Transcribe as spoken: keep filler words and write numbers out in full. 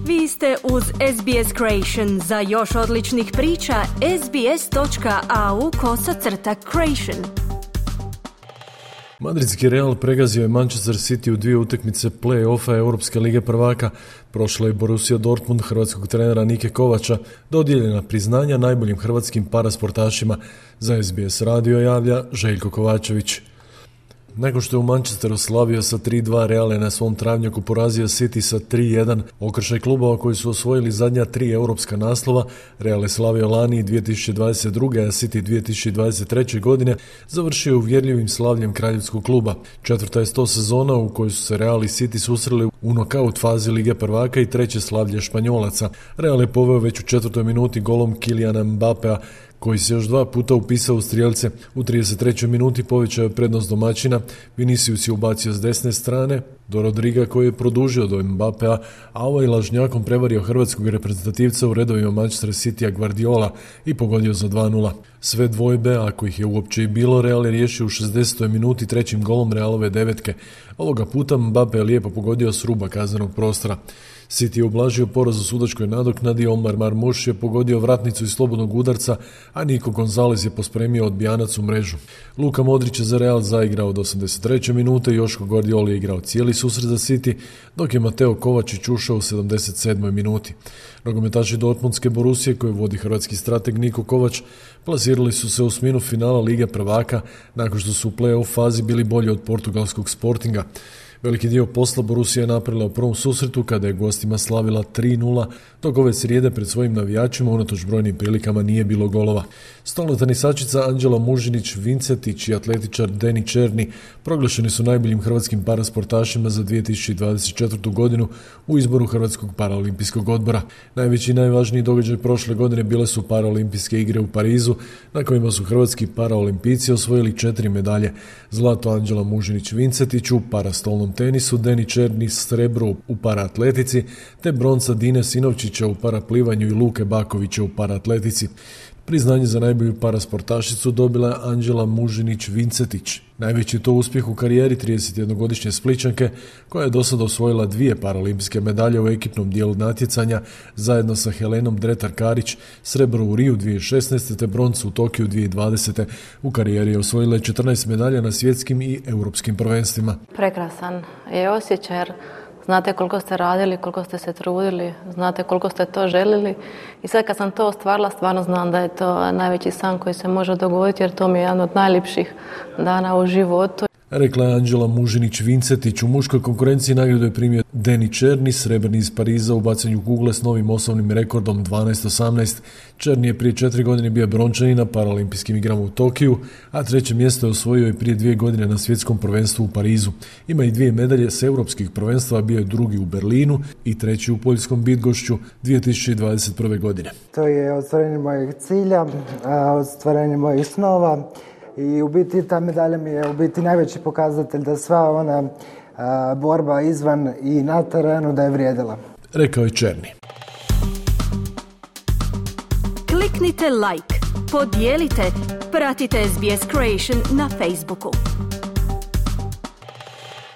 Vi ste uz S B S Creation. Za još odličnih priča, sbs.au kosacrta creation. Madridski Real pregazio je Manchester City u dvije utakmice play-offa Europske lige prvaka. Prošla je Borussia Dortmund hrvatskog trenera Nike Kovača, dodijeljena priznanja najboljim hrvatskim parasportašima. Za S B S radio javlja Željko Kovačević. Nakon što je u Manchesteru slavio sa tri dva, Real je na svom travnjaku porazio City sa tri jedan. Okršaj klubova koji su osvojili zadnja tri europska naslova, Real je slavio lani dvije tisuće dvadeset druge. a City dvije tisuće dvadeset treće. godine završio uvjerljivim slavljem kraljevskog kluba. Četvrta je sto sezona u kojoj su se Real i City susreli u nokaut fazi Lige prvaka i treće slavlje Španjolaca. Real je poveo već u četvrtoj minuti golom Kyliana Mbappea, koji se još dva puta upisao u strijelce. U trideset trećoj minuti povećao je prednost domaćina, Vinicius je ubacio s desne strane do Rodriga koji je produžio do Mbappea, a ovaj lažnjakom prevario hrvatskog reprezentativca u redovima Manchester Citya Guardiola i pogodio za dva nula. Sve dvojbe, ako ih je uopće i bilo, Real je riješio u šezdesetoj minuti trećim golom Realove devetke. Ovoga puta Mbappe je lijepo pogodio s ruba kaznenog prostora. City je ublažio poraz u sudačkoj nadoknadi, Omar Marmuš je pogodio vratnicu iz slobodnog udarca, a Nico Gonzalez je pospremio odbijanac u mrežu. Luka Modrić je za Real zaigrao od osamdeset treće minute, Joško Guardiola je igrao cijeli susret za City, dok je Mateo Kovačić ušao u sedamdeset sedmoj minuti. Nogometaši Dortmundske Borusije, koje vodi hrvatski strateg Niko Kovač, plasirali su se u osminu finala Lige prvaka nakon što su u play-off fazi bili bolji od portugalskog Sportinga. Veliki dio posla Borussia je napravila u prvom susretu kada je gostima slavila tri nula, dok ove srijede pred svojim navijačima unatoč brojnim prilikama nije bilo golova. Stolna tenisačica Anđela Mužinić-Vincetić i atletičar Deni Černi proglašeni su najboljim hrvatskim parasportašima za dvije tisuće dvadeset četvrtu. godinu u izboru Hrvatskog paraolimpijskog odbora. Najveći i najvažniji događaj prošle godine bile su paraolimpijske igre u Parizu, na kojima su hrvatski paraolimpijci osvojili četiri medalje. Zlato Anđela Mužinić-Vincetić u parastolnom tenisu, Deni Černi srebro u paraatletici, te bronca Dine Sinovčića u paraplivanju i Luke Bakovića u paraatletici. Priznanje za najbolju parasportašicu dobila je Anđela Mužinić-Vincetić. Najveći je to uspjeh u karijeri tridesetjednogodišnje Splićanke, koja je do sada osvojila dvije paraolimpijske medalje u ekipnom dijelu natjecanja zajedno sa Helenom Dretar-Karić, srebro u Riju dvije tisuće šesnaeste. te broncu u Tokiju dvije tisuće dvadesete. U karijeri je osvojila četrnaest medalja na svjetskim i europskim prvenstvima. Prekrasan je osjećaj jer znate koliko ste radili, koliko ste se trudili, znate koliko ste to želili i sad kad sam to ostvarila, stvarno znam da je to najveći san koji se može dogoditi jer to mi je jedan od najljepših dana u životu. Rekla je Anđela Mužinić-Vincetić. U muškoj konkurenciji nagradu je primio Deni Černi, srebrni iz Pariza u bacanju kugle s novim osnovnim rekordom dvanaest osamnaest. Černi je prije četiri godine bio brončani na paraolimpijskim igrama u Tokiju, a treće mjesto je osvojio i prije dvije godine na svjetskom prvenstvu u Parizu. Ima i dvije medalje s europskih prvenstva, bio je drugi u Berlinu i treći u poljskom Bydgoszczu dvije tisuće dvadeset prve. godine. To je ostvarenje mojeg cilja, ostvarenje mojih snova. I u biti ta medalja mi je u biti najveći pokazatelj da sva ona a, borba izvan i na terenu da je vrijedila. Rekao je Černi. Kliknite like, podijelite, pratite S B S Creation na Facebooku.